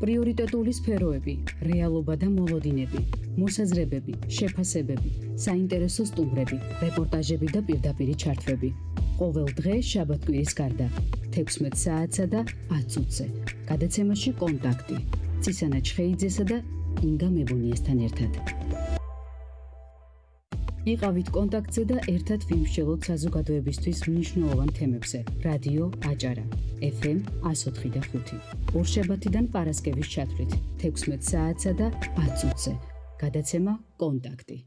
პრიორიტეტული სფეროები, რეალობა და მოლოდინები, მოსაზრებები, შეფასებები, საინტერესო სტუმრები, რეპორტაჟები და პირდაპირი ჩართვები. ყოველ დღე შაბათ-კვირის გარდა 16 საათსა და 10 წუთზე. გადაცემაში კონტაქტი. ცისანა ჩხეიძესა და ინგა მებუნიესთან ერთად. იყავით კონტაქტზე და ერთად ვიმსჯელოთ საზოგადოებისთვის მნიშვნელოვან თემებზე. რადიო აჭარა, FM 104.5. ორშაბათიდან პარასკევის ჩათვლით 16 საათსა და 10 წუთზე. გადაცემა კონტაქტი.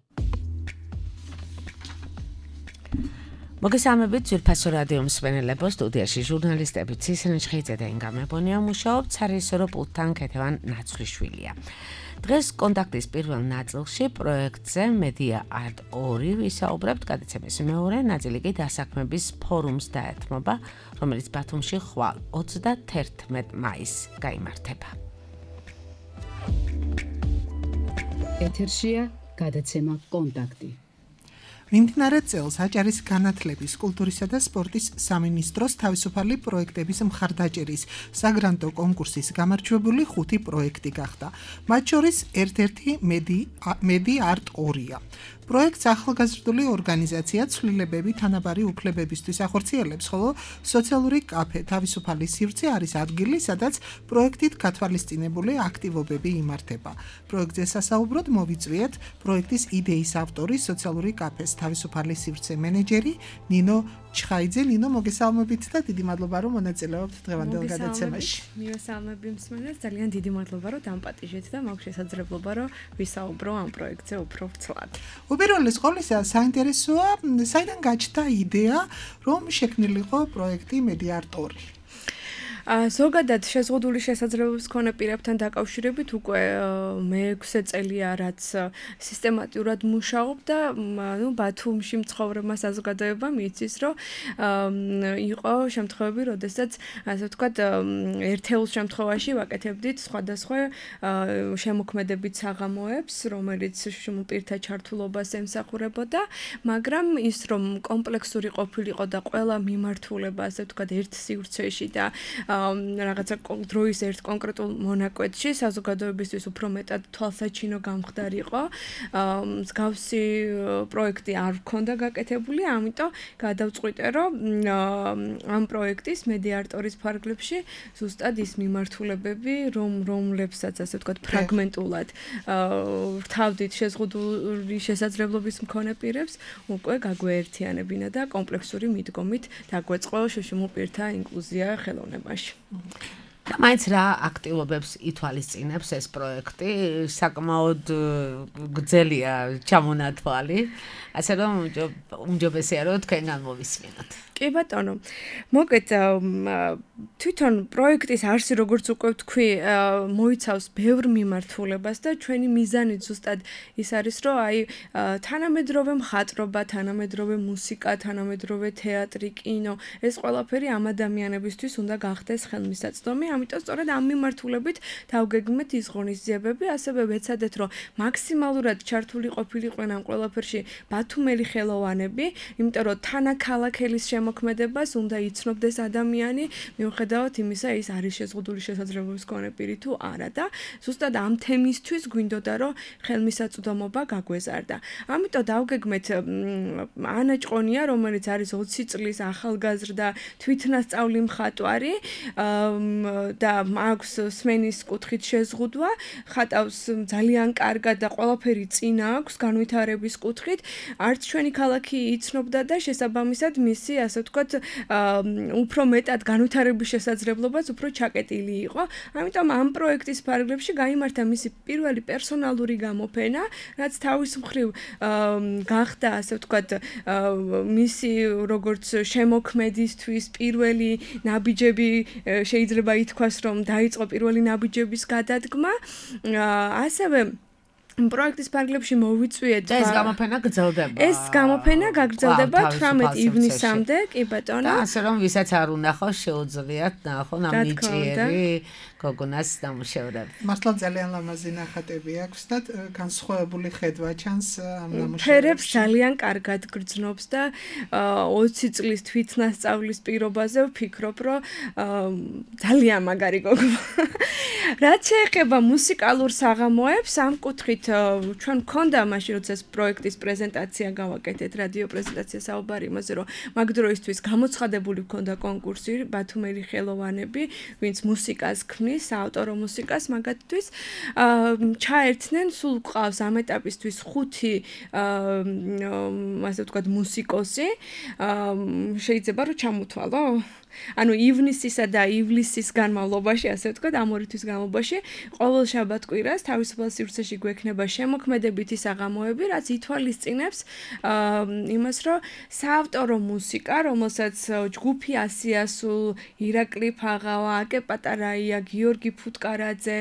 მოგესალმებით ძვირფასო რადიო მსმენელებო, სტუდიაში ჟურნალისტები ცისანა ჩხეიძე და ინგა მებონია მუშაობთ, სარეჟისორო პულტთან ქეთევან ნაცვლიშვილია. დღეს კონტაქტის პირველ ნაწილში პროექტზე Media Art 2 ვისაუბრებთ, გადაცემის მეორე ნაწილი კი დასაქმების ფორუმს დაეთმობა, რომელიც ბათუმში ხვალ 31 მაისს გაიმართება. ეთერშია გადაცემა კონტაქტი. მიმდინარე წელს აჭარის განათლების, კულტურისა და სპორტის სამინისტროს თავისუფალი პროექტების მხარდაჭერის საგრანტო კონკურსის გამარჯვებული 5 პროექტი გახდა. მათ შორის ერთ-ერთი Media Art 2-ია. პროექტს ახალგაზრდული ორგანიზაცია ცვლილებები თანაბარი უფლებებისთვის ახორციელებს, ხოლო სოციალური კაფე თავისუფალი სივრცე არის ადგილი, სადაც პროექტით გათვალისწინებული აქტივობები იმართება. პროექტზე სასაუბროდ მოვიწვიეთ პროექტის იდეის ავტორი, სოციალური კაფეს თავისუფალი სივრცე მენეჯერი ნინო ჩხაიძე. ნინო, მოგესალმებით და დიდი მადლობა, რომ მონაწილეობთ დღევანდელ გადაცემაში. მივესალმები მსმენელს, ძალიან დიდი მადლობა, რომ დამპატიჟეთ და მაქვს შესაძლებლობა, რომ ვისაუბრო ამ პროექტზე უფრო ვრცლად. უპირველეს ყოვლისა, საინტერესოა, საიდან გაჩნდა იდეა, რომ შექმნილიყო პროექტი Media Art 2? ზოგადად შეზღუდული შესაძლებლობის მქონე პირებთან დაკავშირებით უკვე მე-6 წელია, რაც სისტემატურად მუშაობ და ბათუმში მცხოვრებმა საზოგადოებამ იცის, რომ იყო შემთხვევები, როდესაც ასე ვთქვათ, ერთეულ შემთხვევაში ვაკეთებდით სხვადასხვა შემოქმედებით საღამოებს, რომელიც პირთა ჩართულობას ემსახურებოდა, მაგრამ ის რომ კომპლექსური ყოფილიყო და ყველა მიმართულება, ასე ვთქვათ, ერთ სივრცეში და რაღაცა დროის ერთ კონკრეტულ მონაკვეთში საზოგადოებისთვის უფრო მეტად თვალსაჩინო გამხდარიყო. მსგავსი პროექტი არ ჰქონდა გაკეთებული, ამიტომ გადავწყვიტე, რომ ამ პროექტის Media Art 2-ის ფარგლებში ზუსტად ის მიმართულებები, რომლებსაც ასე ვთქვათ, ფრაგმენტულად რთავდით შეზღუდული შესაძლებლობის მქონე პირებს, უკვე გაგვეერთიანებინა და კომპლექსური მიდგომით დაგვეწყო შუშუმულ პირთა ინკლუზია ხელოვნებაში. და მაინც რა აქტივობებს ითვალისწინებს ეს პროექტი? საკმაოდ გრძელია ჩამონათვალი, ასე რომ უმჯობესია რომ თქვენგან მოვისმინოთ. კი ბატონო, მოგეთ თვითონ პროექტის არსი, როგორც უკვე ვთქვი, მოიცავს ბევრ მიმართულებას და ჩვენი მიზანი ზუსტად ის არის, რომ თანამედროვე მხატვრობა, თანამედროვე მუსიკა, თანამედროვე თეატრი, კინო, ეს ყველაფერი ამ ადამიანებისთვის უნდა გახდეს ხელმისაწვდომი, ამიტომ სწორედ ამ მიმართულებით დავგეგმეთ ის ღონისძიებები, ასევე ვეცადეთ, რომ მაქსიმალურად ჩართული ყოფილიყვნენ ამ ყველაფერში ბათუმელი ხელოვანები, იმიტომ რომ თანაქალაქელის მოქმედებას უნდა იცნობდეს ადამიანი, მიუხედავად იმისა, ის არის შეზღუდული შესაძლებლობის მქონე პირი თუ არა და ზუსტად ამ თემისთვის გვინდოდა, რომ ხელმისაწვდომობა გაგვეზარდა. ამიტომ დავგეგმეთ ანა ჭყონია, რომელიც არის 20 წლის ახალგაზრდა თვითნასწავლი მხატვარი და აქვს სმენის კუთხით შეზღუდვა, ხატავს ძალიან კარგად და ყველაფერი წინა აქვს განვითარების კუთხით, არც ჩვენი ქალაქი იცნობდა და შესაბამისად მისი ასე ვთქვათ, უფრო მეტად განვითარების შესაძლებლობაც უფრო ჩაკეტილი იყო. ამიტომ ამ პროექტის ფარგლებში გაიმართა მისი პირველი პერსონალური გამოფენა, რაც თავის მხრივ გახდა, ასე ვთქვათ, მისი როგორც შემოქმედისთვის პირველი ნაბიჯები, შეიძლება ითქვას, რომ დაიწყო პირველი ნაბიჯების გადადგმა. ასევე პროექტის ფარგლებში მოვიწვიეთ და ეს გამოფენა გრძელდება. ეს გამოფენა გაგრძელდება 18 ივნისამდე, კი ბატონო. და ასე რომ ვისაც არ უნახავს, შეუძლიათ ნახონ ამ ნიჭიერი გოგონას ნამუშევრები. მართლა ძალიან ლამაზი ნახატები აქვს და განსხვავებული ხედვა ჩანს ამ ნამუშევრებში. ფერებს ძალიან კარგად გრძნობს და 20 წლის თვითნასწავლის პირობაზე ვფიქრობ, რომ ძალიან მაგარი გოგონა. რაც შეეხება მუსიკალურ საღამოებს, ამ კუთხით ჩვენ გქონდა მაშინ როცა ეს პროექტის პრეზენტაცია გავაკეთეთ, რადიო პრეზენტაცია საუბარი იმაზე, რომ მაგ დროისთვის გამოცხადებული გქონდა კონკურსი ბათუმელი ხელოვანები, ვინც მუსიკას ქმნის, საავტორო მუსიკას მაგათთვის ჩაერთნენ, სულ ყავს ამ ეტაპისთვის 5 ასე ვთქვათ მუსიკოსი, შეიძლება რომ ჩამოთვალო? ანუ ივნისისა და ივლისის განმავლობაში, ასე ვთქვათ, ამ ორი თვის განმავლობაში, ყოველ შაბათ-კვირას თავისუფალ სივრცეში გვექნება შემოქმედებითი საღამოები, რაც ითვალისწინებს იმას, რომ საავტორო მუსიკა, რომელსაც ჯგუფი ასიასულ, ირაკლი ფაღავა, აკე პატარაია, გიორგი ფუტკარაძე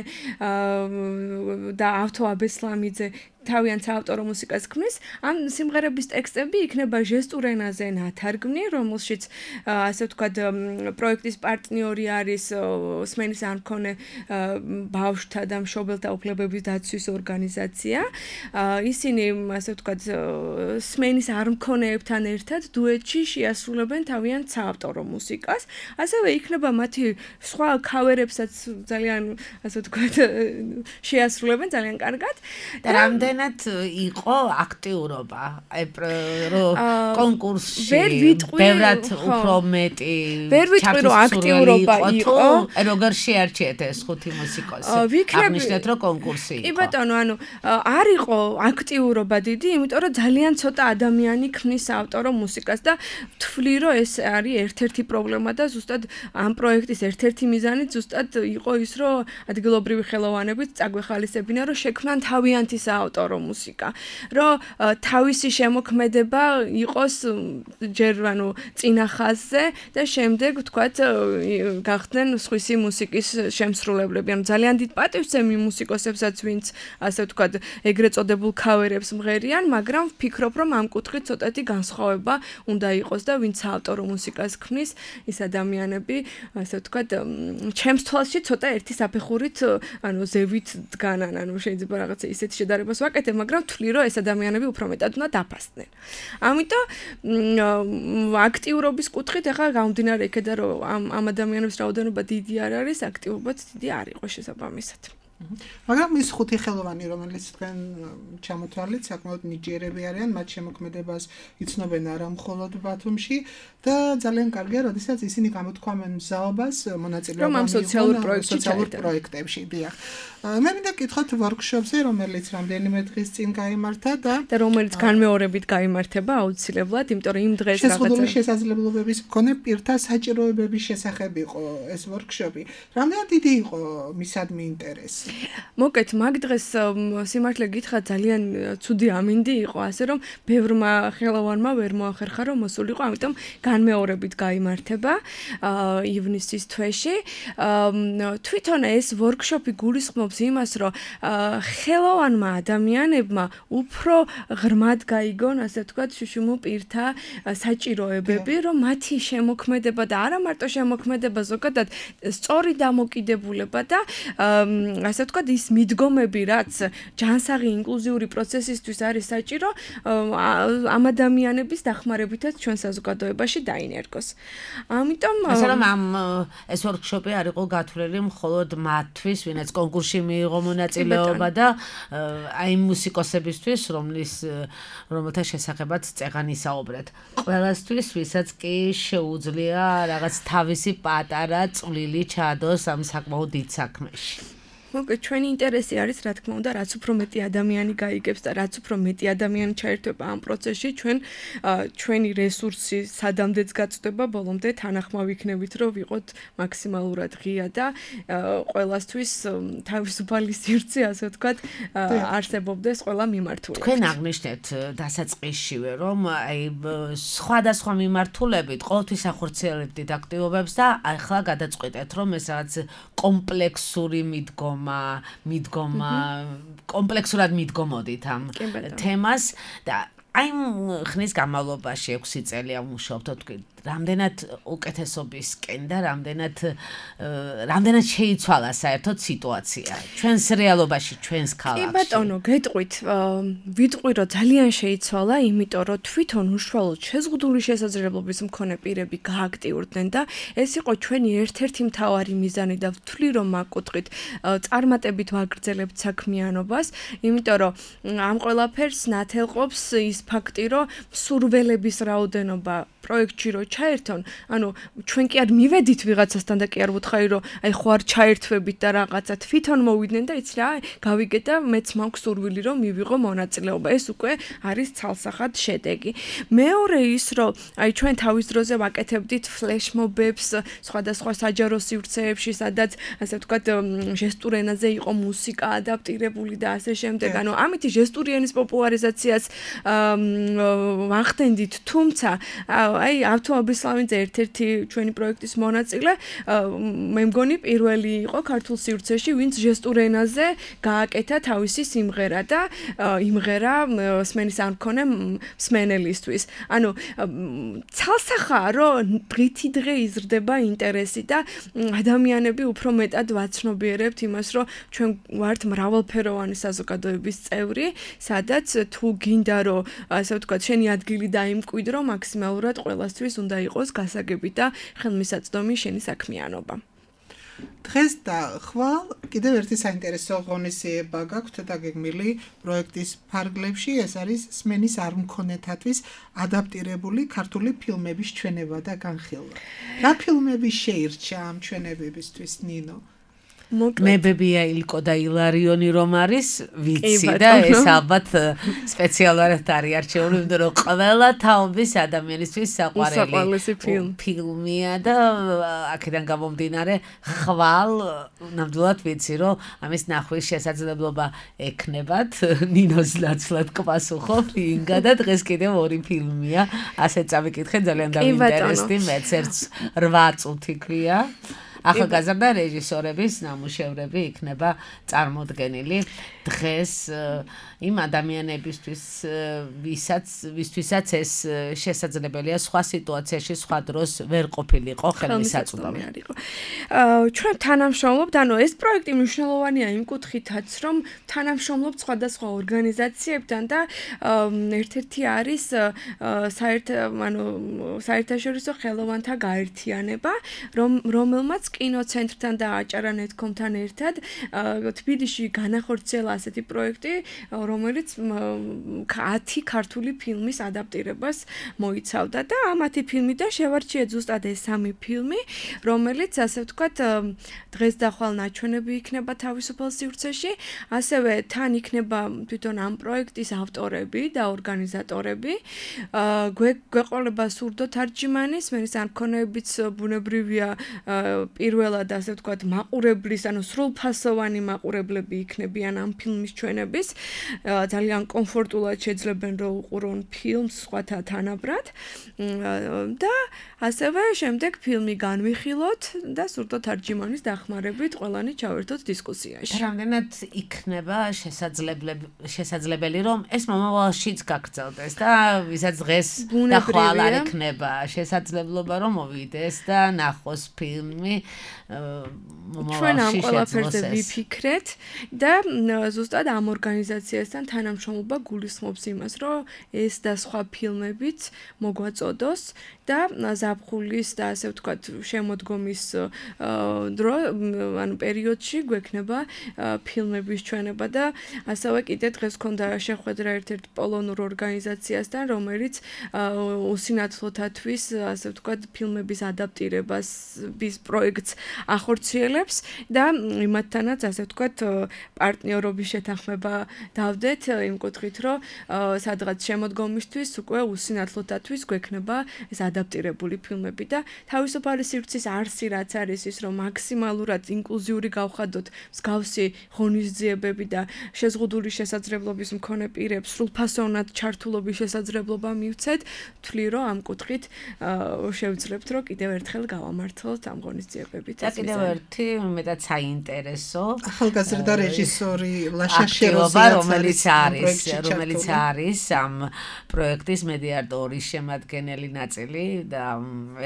და ავთო აბესლამიძე თავიანთ საავტორო მუსიკას ქმნის, ამ სიმღერების ტექსტები იქნება ჟესტურ ენაზე ნათარგმნი, რომელშიც ასე ვთქვათ პროექტის პარტნიორი არის სმენის არ მქონე ბავშვთა და მშობელთა უფლებების დაცვის ორგანიზაცია. ისინი ასე ვთქვათ სმენის არ მქონეებთან ერთად დუეტში შეასრულებენ თავიანთ საავტორო მუსიკას. ასევე იქნება მათი სხვა ქავერებსაც ძალიან ასე ვთქვათ შეასრულებენ ძალიან კარგად. და რამდენად იყო აქტიურობა კონკურსში ბევრად უფრო მეტი ვერ ვიტყვი რომ აქტიურობა იყო როგორ შეარჩიეთ ეს 5 მუსიკოსი აღნიშნეთ რომ კონკურსი იყო კი ბატონო ანუ არ იყო აქტიურობა დიდი იმიტომ რომ ძალიან ცოტა ადამიანი ქმნის ავტორო მუსიკას და ვთვლი რომ ეს არის ერთ-ერთი პრობლემა და ზუსტად ამ პროექტის ერთ-ერთი მიზანი ზუსტად იყო ის რომ ადგილობრივი ხელოვანებით წაგვეხალისებინა რომ შექმნან თავიანთი საავტორო მუსიკა, რომ თავისი შემოქმედება იყოს ჯერ ანუ წინა ხაზზე და შემდეგ ვთქვათ გახდნენ სხვისი მუსიკის შემსრულებლები. ანუ ძალიან დიდ პატივცემი მუსიკოსებსაც, ვინც ასე ვთქვათ ეგრეთ წოდებულ ქავერებს მღერიან, მაგრამ ვფიქრობ, რომ ამ კუთხით ცოტათი განსხვავება უნდა იყოს და ვინც ავტორო მუსიკას ქმნის, ის ადამიანები, ასე ვთქვათ, ჩემს თვალში ცოტა ერთი საფეხურით, ანუ ზევით დგანან, ანუ შეიძლება რაღაცა ისეთი შედარებას ვაკეთებ, მაგრამ ვთვლი, რომ ეს ადამიანები უფრო მეტად უნდა დაფასდნენ. ამიტომ აქტიურობის კუთხით ახლა გამომდინარე იქედა, რომ ამ ადამიანების რაოდენობა დიდი არ არის, აქტიურობაც დიდი არ იყო შესაბამისად. მაგრამ ის 5 ხელოვანი, რომელიც თქვენ ჩამოთვალეთ, საკმაოდ ნიჭიერები არიან, მათ შემოქმედებას იცნობენ არა მხოლოდ ბათუმში და ძალიან კარგია, როდესაც ისინი გამოთქვამენ მზაობას მონაწილეობამ სოციალურ პროექტებში. დიახ. მე მინდა გითხოთ ვორქშოპზე, რომელიც რამდენიმე დღის წინ გაიმართა და რომელიც განმეორებით გაიმართება აუცილებლად, იმიტომ რომ იმ დღეს შეზღუდული შესაძლებლობების მქონე პირთა საჭიროებების შესახებ იყო ეს ვორქშოპი. რამდენად დიდი იყო მისადმი ინტერესი? მოკეთ მაგ დღეს სიმართლე გითხრათ ძალიან ცუდი ამინდი იყო, ასე რომ ბევრმა ხელოვანმა ვერ მოახერხა რომ მოსულიყო, ამიტომ განმეორებით გაიმართება ივნისის თვეში. თვითონ ეს ვორქშოპი გულისხმობს იმას, რომ ხელოვანმა ადამიანებმა უფრო ღრმად გაიგონ, ასე ვთქვათ, შუშუმო პირთა საჭიროებები, რომ მათი შემოქმედება და არა მარტო შემოქმედება, ზოგადად სწორი დამოკიდებულება და ასე ვთქვათ, ის მიდგომები, რაც ჯანსაღი ინკლუზიური პროცესისთვის არის საჭირო, ამ ადამიანების დახმარებითაც ჩვენ საზოგადოებაში დაინერგოს. ამიტომ ასე რომ ეს ვორქშოპი არ იყო გათვლილი მხოლოდ მათთვის, ვინაც კონკურსში მიიღო მონაწილეობა და აი მუსიკოსებისთვის, რომელთა შესახებაც წეღან ისაუბრეთ. ყველასთვის, ვისაც კი შეუძლია რაღაც თავისი პატარა წვლილი ჩაადოს ამ საკმაოდ დიდ საქმეში. მოკეთ ჩვენი ინტერესი არის, რა თქმა უნდა, რაც უფრო მეტი ადამიანი გაიგებს და რაც უფრო მეტი ადამიანი ჩაერთვება ამ პროცესში, ჩვენი რესურსი სადამდეც გაწდება, ბოლომდე თანახმავ იქნებით, რომ ვიყოთ მაქსიმალურად ღია და ყველასთვის თავისუფალი სივრცე, ასე ვთქვათ, არსებობდეს ყველა მიმართულებით. თქვენ აღნიშნეთ დასაწყისშივე, რომ აი სხვადასხვა მიმართულებით ყოველთვის ახორციელებდით აქტივობებს და ახლა გადაწყვეტეთ, რომ ეს რაღაც კომპლექსური მიდგომა კომპლექსურად მიდგომოდით ამ თემას და აი ხნის განმავლობაში 6 წელი ამუშავებთ რამდენად უკეთესობისკენ და რამდენად შეიცვალა საერთოდ სიტუაცია ჩვენს რეალობაში, ჩვენს ქალაქში. კი ბატონო, გეტყვით, ვიტყვი რომ ძალიან შეიცვალა, იმიტომ რომ თვითონ უშუალოდ შეზღუდული შესაძლებლობის მქონე პირები გააქტიურდნენ და ეს იყო ჩვენი ერთ-ერთი მთავარი მიზანი და ვთვლი რომ მაგ კუთხით წარმატებით ვაგრძელებთ საქმიანობას, იმიტომ რომ ამ ყველაფერს ნათელყოფს ის ფაქტი, რომ სურველების რაოდენობა პროექტში რო ჩაერთონ, ანუ ჩვენ კი არ მივედით ვიღაცასთან და კი არ ვუთხარი რომ აი ხო არ ჩაერთვებით და რაღაცა თვითონ მოვიდნენ და იცი რა, გავიგე და მეც მაქვს სურვილი რომ მივიღო მონაწილეობა. ეს უკვე არის ცალსახად შედეგი. მეორე ის რომ აი ჩვენ თავის დროზე ვაკეთებდით ფლეშმობებს სხვადასხვა საჯარო სივრცეებში, სადაც ასე ვთქვათ ჟესტურ ენაზე იყო მუსიკა ადაპტირებული და ასე შემდეგ. ანუ ამითი ჟესტური ენის პოპულარიზაციას ვახდენდით, თუმცა აი ავთოაბის სლავინძე ერთ-ერთი ჩვენი პროექტის მონაწილე, მე მგონი პირველი იყო ქართულ სივრცეში, ვინც ჟესტურ ენაზე გააკეთა თავისი სიმღერა და იმღერა სმენის არ მქონე მსმენელისთვის. ანუ ცალსახაა, რომ დღითი დღე იზრდება ინტერესი და ადამიანები უფრო მეტად ვაცნობიერებთ იმას, რომ ჩვენ ვართ მრავალფეროვანი საზოგადოების წევრი, სადაც თუ გინდა რომ ასე ვთქვათ, შენი ადგილი დაიმკვიდრო, მაქსიმალურად ყველასთვის უნდა იყოს გასაგები და ხელმისაწვდომი შენი საქმიანობა. დღეს და ხვალ კიდევ ერთი საინტერესო ღონისძიება გაქვთ დაგეგმილი პროექტის ფარგლებში, ეს არის სმენის არ მქონეთათვის ადაპტირებული ქართული ფილმების ჩვენება და განხილვა. რა ფილმები შეირჩა ამ ჩვენებებისთვის, ნინო? მებებია ილკო და ილარიონი რომ არის ვიცი და ეს ალბათ სპეციალურად არის არჩეული, იმიტომ რომ ყველა თაობის ადამიანისთვის საყვარელი ფილმია და აქედან გამომდინარე ხვალ ნამდვილად ვიცი რომ ამის ნახვის შესაძლებლობა ექნებათ. ნინოს ნაცვლად გპასუხობ ინგა და დღეს კიდევ ორი ფილმია, ასე წავიკითხე, ძალიან დამინტერესდი, მეც ერთს 8 წუთი ქვია. ახალგაზრდა რეჟისორების ნამუშევრები იქნება წარმოდგენილი დღეს იმ ადამიანებისთვის, ვისთვისაც ეს შესაძლებელია სხვა სიტუაციაში, სხვა დროს ვერ ყოფილიყო ხელმისაწვდომი. ჩვენ თანამშრომლობთ, ანუ ეს პროექტი მნიშვნელოვანია იმ კუთხითაც, რომ თანამშრომლობთ სხვადასხვა ორგანიზაციებთან და ერთ-ერთი არის საერთაშორისო ხელოვანთა გაერთიანება, რომელმაც კინოცენტრთან და აჭარა.net.com-თან ერთად თბილისში განახორციელა ასეთი პროექტი, რომელიც 10 ქართული ფილმის ადაპტირებას მოიცავდა და ამ 10 ფილმიდან შევარჩიეთ ზუსტად ეს 3 ფილმი, რომელიც ასე ვთქვათ დღეს და ხვალ ნაჩვენები იქნება თავისუფალ სივრცეში, ასევე თან იქნება თვითონ ამ პროექტის ავტორები და ორგანიზატორები. გვეყოლება სურდო თარჯიმანი, სმენის არ მქონეებიც ბუნებრივია პირველად ასე ვთქვათ მაყურებლის, ანუ სრულფასოვანი მაყურებლები იქნებიან ამ ფილმის ჩვენების. ძალიან კომფორტულად შეძლებენ რომ უყურონ ფილმს სხვათა თანაბრად და ასევე შემდეგ ფილმი განვიხილოთ და სურდო თარჯიმანის დახმარებით ყველანი ჩავერთოთ დისკუსიაში. რამდენად იქნება შესაძლებელი რომ ეს მომავალშიც გაგრძელდეს და ვისაც დღეს და ხვალ არ იქნება შესაძლებლობა რომ მოვიდეს და ნახოს ფილმი ჩვენ ამ ყველაფერზე ვიფიქრეთ და ზუსტად ამ ორგანიზაციასთან თანამშრომლობა გულისხმობს იმას, რომ ეს და სხვა ფილმებიც მოგვაწოდოს და ზაფხულის და ასე ვთქვათ შემოდგომის დრო, ანუ პერიოდში გვექნება ფილმების ჩვენება და ასევე კიდე დღეს ქონდა შეხვედრა ერთ-ერთ პოლონურ ორგანიზაციასთან, რომელიც უსინათლოთათვის ასე ვთქვათ ფილმების ადაპტირებას პროექტს ახორციელებს და იმათთანაც ასე ვთქვათ პარტნიორობის შეთანხმება დავდეთ იმ კუთხით, რომ სადღაც შემოდგომისთვის უკვე უსინათლოთათვის გვექნება ეს ადაპტირებული ფილმები და თავისუფალი სივრცის არსი რაც არის ის, რომ მაქსიმალურად ინკლუზიური გავხადოთ მსგავსი ღონისძიებები და შეზღუდული შესაძლებლობის მქონე პირებს სრულფასოვნად ჩართულობის შესაძლებლობა მივცეთ, ვთვლი რომ ამ კუთხით შევძლებთ, რომ კიდევ ერთხელ გავამართლოთ ამ ღონისძიებას. გაგრძელებებით. და კიდევ ერთი მეტად საინტერესო ახალგაზრდა რეჟისორი ლაშა შეროზიაც რომელიც არის ამ პროექტის მედიატორის შემადგენელი ნაწილი და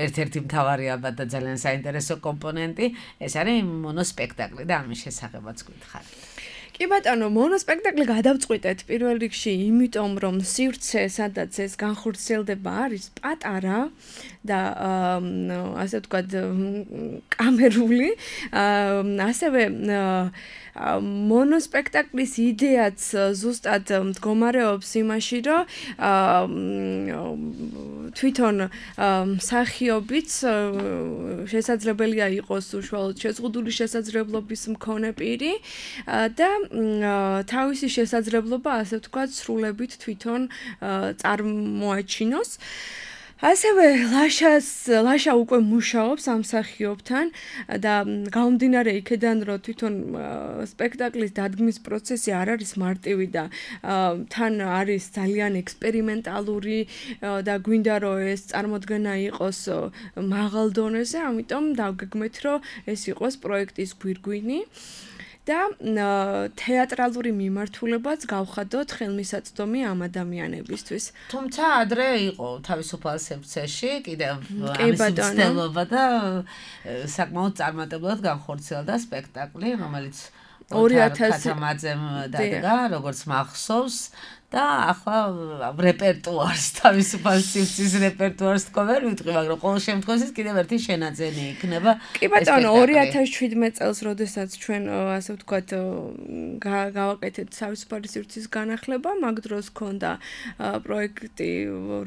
ერთ-ერთი მთავარი ალბათ და ძალიან საინტერესო კომპონენტი ეს არის მონოსპექტაკლი და ამის შესახებაც გითხარით. კი ბატონო, მონოსპექტაკლი გადავწყვიტეთ პირველ რიგში, იმიტომ რომ სივრცე, სადაც ეს განხორციელდება, არის პატარა და ასე ვთქვათ, კამერული, ასევე მონოსპექტაკლის იდეაც ზუსტად მდგომარეობს იმაში, რომ თვითონ მსახიობიც შესაძლებელია იყოს უშუალოდ შეზღუდული შესაძლებლობის მქონე პირი და თავისი შესაძლებლობა, ასე ვთქვათ, სრულებით თვითონ წარმოაჩინოს. ასევე ლაშა უკვე მუშაობს ამ მსახიობთან და გამომდინარე იქედან, რომ თვითონ სპექტაკლის დადგმის პროცესი არ არის მარტივი და თან არის ძალიან ექსპერიმენტალური და გვინდა რომ ეს წარმოდგენა იყოს მაღალ დონეზე, ამიტომ დავგეგმეთ, რომ ეს იყოს პროექტის გვირგვინი. და თეატრალური მიმართულებაც გავხადოთ ხელმისაწვდომი ამ ადამიანებისთვის. თუმცა ადრე იყო თავისუფალ სექციაში კიდევ ამის მცდელობა და საკმაოდ წარმატებლად განხორციელდა სპექტაკლი, რომელიც 2000-მ დადგა, როგორც მახსოვს. და ახლა რეპერტუარს თავისუფალ სივრცის რეპერტუარს თქო ვერ ვიტყვი, მაგრამ ყოველ შემთხვევაში კიდევ ერთი შენაძენი იქნება. კი ბატონო, 2017 წელს, როდესაც ჩვენ ასე ვთქვათ, გავაკეთეთ თავისუფალი სივრცის განახლება, მაგ დროს ჰქონდა პროექტი,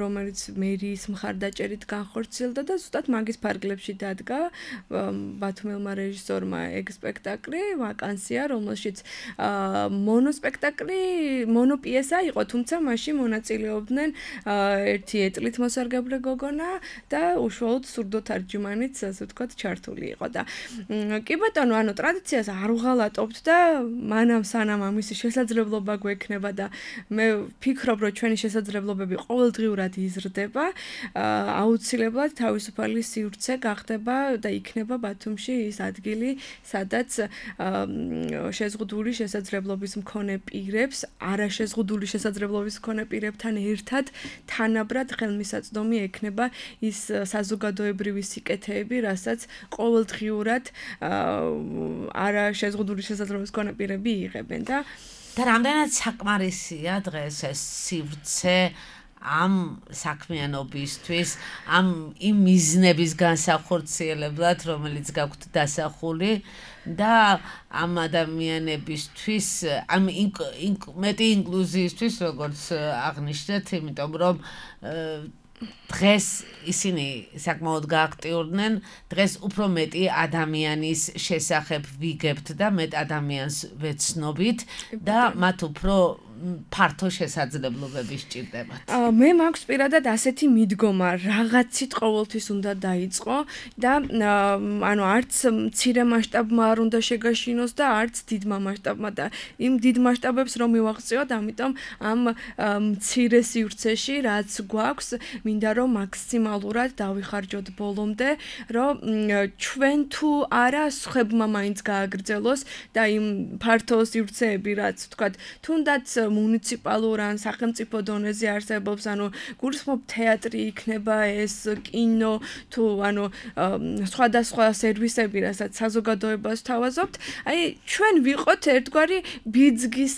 რომელიც მერიის მხარდაჭერით განხორციელდა და ზუსტად მაგის ფარგლებში დადგა ბათუმელმა რეჟისორმა ეგ სპექტაკლი, ვაკანსია, რომელშიც მონოპიესა იყო, თუმცა მაშინ მონაწილეობდნენ ერთი ეტლით მოსარგებლე გოგონა და უშუალოდ სურდოთარჯიმანიც, ასე ვთქვათ, ჩართული იყო და კი ბატონო, ანუ ტრადიციას არ უღალატობთ და მანამ სანამ ამისი შესაძლებლობა გვექნება და მე ვფიქრობ, რომ ჩვენი შესაძლებლობები ყოველდღიურად იზრდება, აუცილებლად თავისუფალი სივრცე გახდება და იქნება ბათუმში ის ადგილი, სადაც შეზღუდული შესაძლებლობის მქონე პირებს, არაშეზღუდული შესაძლებლობის მქონე პირებთან ერთად თანაბრად ხელმისაწვდომი ექნება ის საზოგადოებრივი სიკეთეები, რასაც ყოველდღიურად არაშეზღუდული შესაძლებლობის მქონე პირები იღებენ და რამდენად საკმარისია დღეს ეს სივრცე ამ საქმიანობისთვის, იმ მიზნების განსახორციელებლად, რომელიც გაქვთ დასახული და ამ ადამიანებისთვის, ამ მეტი ინკლუზიისთვის, როგორც აღნიშნეთ, იმიტომ რომ დღეს ისინი საკმაოდ გააქტიურდნენ, დღეს უფრო მეტი ადამიანის შესახებ ვიგებთ და მეტ ადამიანს ვეცნობით და მათ უფრო ფართო შესაძლებლობები სჭირდებათ. მე მაქვს პირადად ასეთი მიდგომა, რაღაცით ყოველთვის უნდა დაიწყო და ანუ არც მცირე მასშტაბმა არ უნდა შეგაშინოს და არც დიდმა მასშტაბმა და იმ დიდ მასშტაბებს რომ მივაღწიოთ, ამიტომ ამ მცირე სივრცეში რაც გვაქვს, მინდა რომ მაქსიმალურად დავიხარჯოთ ბოლომდე, რომ ჩვენ თუ არა სხვებმა მაინც გააგრძელოს და იმ ფართო სივრცეები რაც ვთქვათ, თუნდაც მუნიციპალურ ან სახელმწიფო დონეზე არსებობს, ანუ გულისხმობ თეატრი იქნება ეს კინო თუ ანუ სხვადასხვა სერვისები, რასაც საზოგადოებას თავაზობთ, აი ჩვენ ვიყოთ ერთგვარი ბიძგის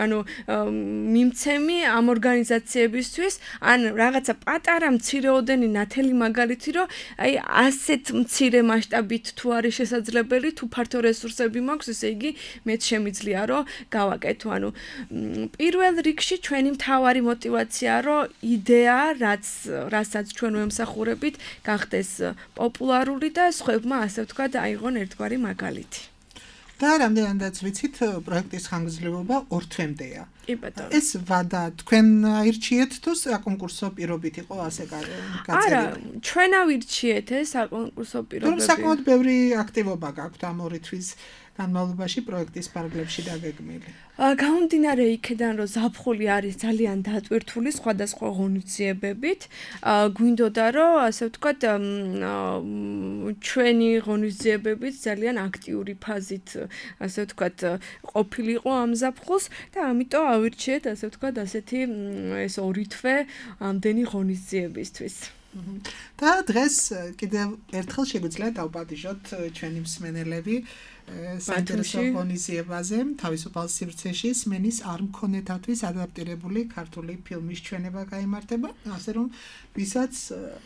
ანუ მიმცემი ამ ორგანიზაციებისთვის, ან რაღაცა პატარა მცირეოდენი ნათელი მაგალითი, რომ აი ასეთ მცირე მასშტაბით თუ არის შესაძლებელი, თუ ფართო რესურსები მაქვს, ესე იგი მეც შემიძლია რომ გავაკეთო, ანუ პირველ რიგში ჩვენი მთავარი мотиваცია, რომ იდეა, რასაც ჩვენ ვემსახურებით, გახდეს პოპულარული და სხვებმა ასე ვთქვათ, აიღონ ერთგვარი მაგალითი. და რამდენადაც ვიცით, პროექტის ხანგრძლივობა 2 თვემდეა. კი ბატონო. ეს ვადა თქვენ აირჩიეთ თუ საკონკურსო პირობით იყო ასე გაწერილი? არა, ჩვენ ავირჩიეთ ეს საკონკურსო პირობები. საკმაოდ ბევრი აქტივობა გაქვთ ამ 2 თვის განმავლობაში პროექტის პარალელში დაგეგმილი. გამომდინარე იქიდან, რომ ზაფხული არის ძალიან დატვირთული სხვადასხვა ღონისძიებებით, გვინდოდა რომ ასე ვთქვათ, ჩვენი ღონისძიებებით ძალიან აქტიური ფაზით, ასე ვთქვათ, ყოფილიყო ამ ზაფხულს და ამიტომ ავირჩიეთ, ასე ვთქვათ, ასეთი ეს 2 თვე ამდენი ღონისძიებისთვის. და დღეს კიდევ ერთხელ შეგვიძლია დავპატიჟოთ ჩვენი მსმენელები საინტერესო ღონისძიებაზე თავისუფალ სივრცეში სმენის არ მქონეთათვის ადაპტირებული ქართული ფილმის ჩვენება გაიმართება, ასე რომ ვისაც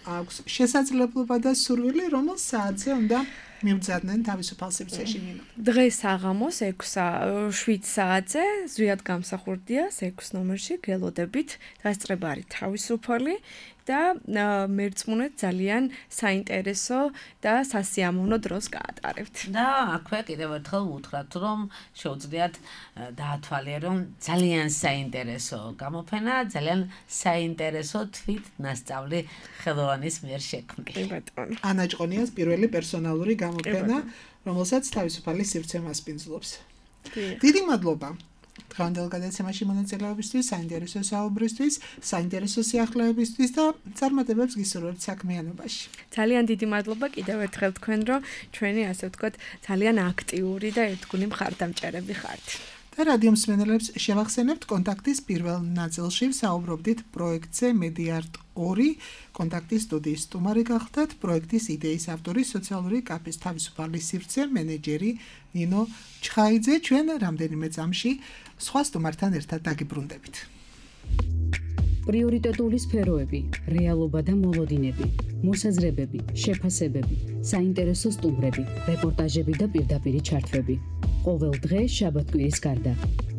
აქვს შესაძლებლობა და სურვილი, რომელ საათზე უნდა მივძადნენ თავისუფალ სივრცეში ნინო. დღეს საღამოს 7 საათზე ზვიად გამსახურდია 6 ნომერში გელოდებით დასწრება არის თავისუფალი და მერწმუნეთ ძალიან საინტერესო და სასიამოვნო დროს გაატარებთ. და აქვე კიდევ ერთხელ ვუთხრათ, რომ შეუძლიათ დაათვალიერონ ძალიან საინტერესო გამოფენა, ძალიან საინტერესო თვით ნასწავლი ხელოვანის მიერ შექმნილი. კი ბატონო. ანა ჭყონიას პირველი პერსონალური გამოფენა, რომელსაც თავისუფალი სივრცე მასპინძლობს. დიდი მადლობა. დღევანდელ გადაცემაში მონაწილეობისთვის, საინტერესო საუბრისთვის, საინტერესო სიახლეებისთვის და წარმატებებს გისურვებთ საქმიანობაში. ძალიან დიდი მადლობა კიდევ ერთხელ თქვენ, რომ ჩვენი ასე ვთქვათ, ძალიან აქტიური და ერთგული მხარდამჭერები ხართ. და რადიო მსმენელებს შევახსენებთ კონტაქტის პირველ ნაწილში საუბრობდით პროექტზე Mediart 2 კონტაქტის სტუდიის სტუმარი გახდათ პროექტის იდეის ავტორი სოციალური კაფის თავისუფალი სივრცე მენეჯერი ნინო ჩხაიძე. ჩვენ რამდენიმე წამში სხვა სტუმართან ერთად დაგიბრუნდებით. პრიორიტეტული სფეროები, რეალობა და მოლოდინები, მოსაზრებები, შეფასებები, საინტერესო სტუმრები, რეპორტაჟები და პირდაპირი ჩართვები. ყოველ დღე შაბათ-კვირის გარდა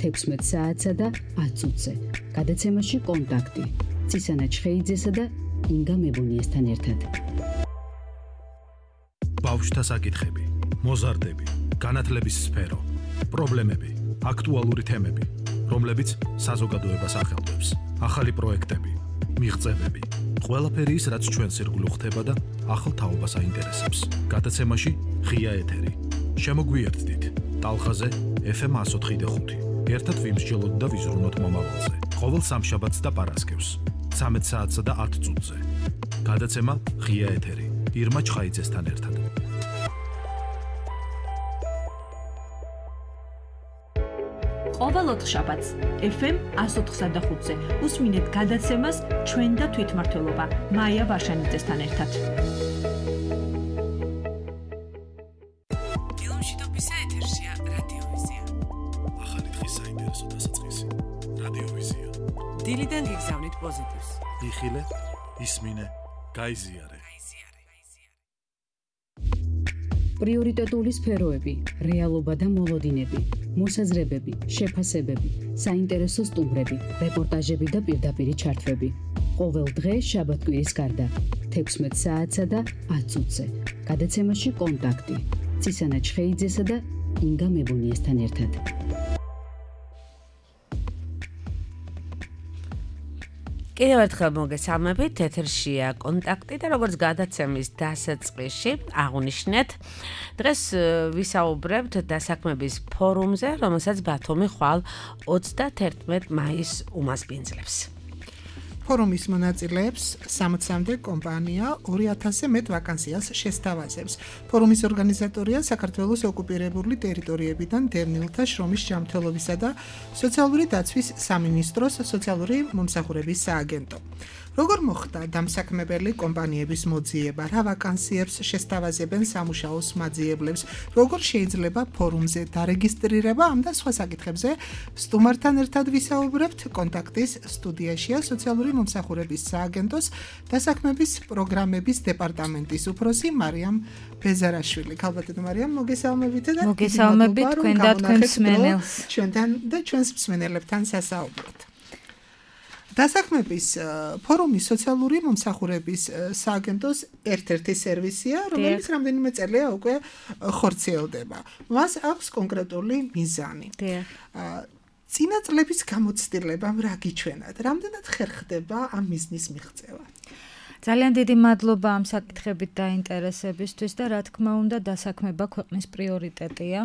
16 საათსა და 10 წუთზე. გადაცემაში კონტაქტი ცისანა ჩხეიძესა და ინგა მებუნიესთან ერთად. ბავშვთა საკითხები, მოზარდები, განათლების სფერო, პრობლემები, აქტუალური თემები, რომლებიც საზოგადოებას ახელვებს, ახალი პროექტები, მიღწევები, ყველაფერი ის, რაც ჩვენს ირგვლივ ხდება და ახალ თაობას აინტერესებს. გადაცემაში ღია ეთერი. შემოგვიერთდით ტალღაზე FM 104.5. ერთად ვიმსჯელოთ და ვიზრუნოთ მომავალზე. ყოველ სამშაბათს და პარასკევს 13 საათსა და 10 წუთზე. გადაცემა ღია ეთერი. ირმა ჩხაიძესთან ერთად. ყოველ ოთხშაბათს FM 104.5-ზე უსმინეთ გადაცემას ჩვენ და თვითმმართველობა მაია ვარშანიძესთან ერთად. დილომშვიდობისა ეთერშია რადიოვიზია. ახალი დღის საინტერესო დასაწყისი. რადიოვიზია. დილიდან გიგზავნით პოზიტივს. იხილე, ისმინე, გაიზიარე. პრიორიტეტული სფეროები, რეალობა და მოლოდინები, მოსაზრებები, შეფასებები, საინტერესო სტუმრები, რეპორტაჟები და პირდაპირი ჩართვები. ყოველ დღე შაბათ-კვირის გარდა 16 საათსა და 10 წუთზე. გადაცემაში კონტაქტი ცისანა ჩხეიძესა და ინგა მებუნიესთან ერთად. კიდევ ერთხელ მოგესალმებით, ეთერშია კონტაქტი და როგორც გადაცემის დასაწყისში აღნიშნეთ, დღეს ვისაუბრებთ დასაქმების ფორუმზე, რომელსაც ბათუმი ხვალ 31 მაისს უმასპინძლებს. ფორუმის მონაწილეებს 60-მდე კომპანია 2000-ზე მეტ ვაკანსიას შესთავაზებს. ფორუმის ორგანიზატორია საქართველოს ოკუპირებული ტერიტორიებიდან დევნილთა შრომის ჯანმრთელობისა და სოციალური დაცვის სამინისტროს სოციალური მომსახურების სააგენტო. როგორ მოხდა დამსაქმებელი კომპანიების მოძიება, რა ვაკანსიებს შესთავაზებენ სამუშაოს მაძიებლებს, როგორ შეიძლება ფორუმზე დარეგისტრირება, ამ და სხვა საკითხებზე სტუმართან ერთად ვისაუბრებთ. კონტაქტის სტუდიაშია სოციალური მომსახურების სააგენტოს დასაქმების პროგრამების დეპარტამენტის უფროსი მარიამ ბეზარაშვილი. ქალბატონო მარიამ, მოგესალმებით და მოგესალმებით თქვენ და თქვენ მსმენელს. ჩვენთან და ჩვენს მსმენელებთან სასაუბროთ. დასაქმების ფორუმის სოციალური მომსახურების სააგენტოს ერთ-ერთი სერვისია, რომელიც რამდენიმე წელია უკვე ხორციელდება. მას აქვს კონკრეტული მიზანი. წინა წლების გამოცდილებამ რა გიჩვენათ? რამდენად ხერხდება ამ მიზნის მიღწევა? ძალიან დიდი მადლობა ამ საკითხებით დაინტერესებისთვის და რა თქმა უნდა დასაქმება ქვეყნის პრიორიტეტია.